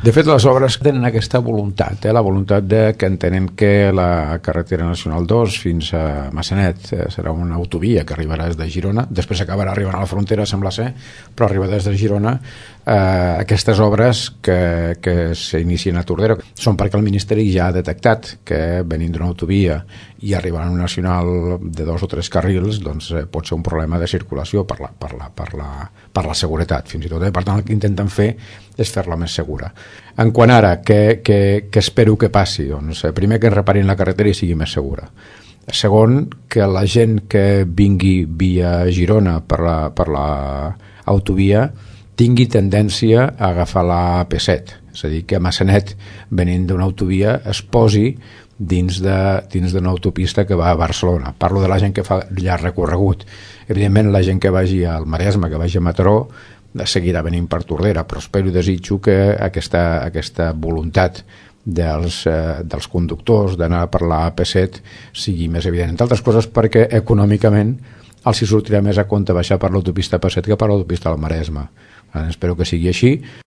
De fet, les obres tenen aquesta voluntat, la voluntat que entenem que la carretera nacional 2 fins a Massanet serà una autovia que arribarà des de Girona, després acabarà arribant a la frontera, sembla ser, però arriba des de Girona. Aquestes obres que s'inicien a Tordera són perquè el Ministeri ja ha detectat que venint d'una autovia i arribant a una nacional de 2 o 3 carrils doncs pot ser un problema de circulació per la seguretat fins i tot. Per tant, el que intenten fer és fer-la més segura. En quant ara, què espero que passi? Doncs, primer, que reparin la carretera i sigui més segura. Segon, que la gent que vingui via Girona per l'autovia tingui tendència a agafar la AP7, és a dir, que a Massanet, venint d'una autovia, es posi dins d'una autopista que va a Barcelona. Parlo de la gent que fa llarg recorregut. Evidentment, la gent que vagi al Maresme, que vagi a Mataró, seguirà venint per Tordera, però espero i desitjo que aquesta voluntat dels conductors d'anar per la AP7 sigui més evident. Entre altres coses perquè econòmicament els hi sortirà més a compte baixar per l'autopista AP7 que per l'autopista del Maresme. Espero que sigui així.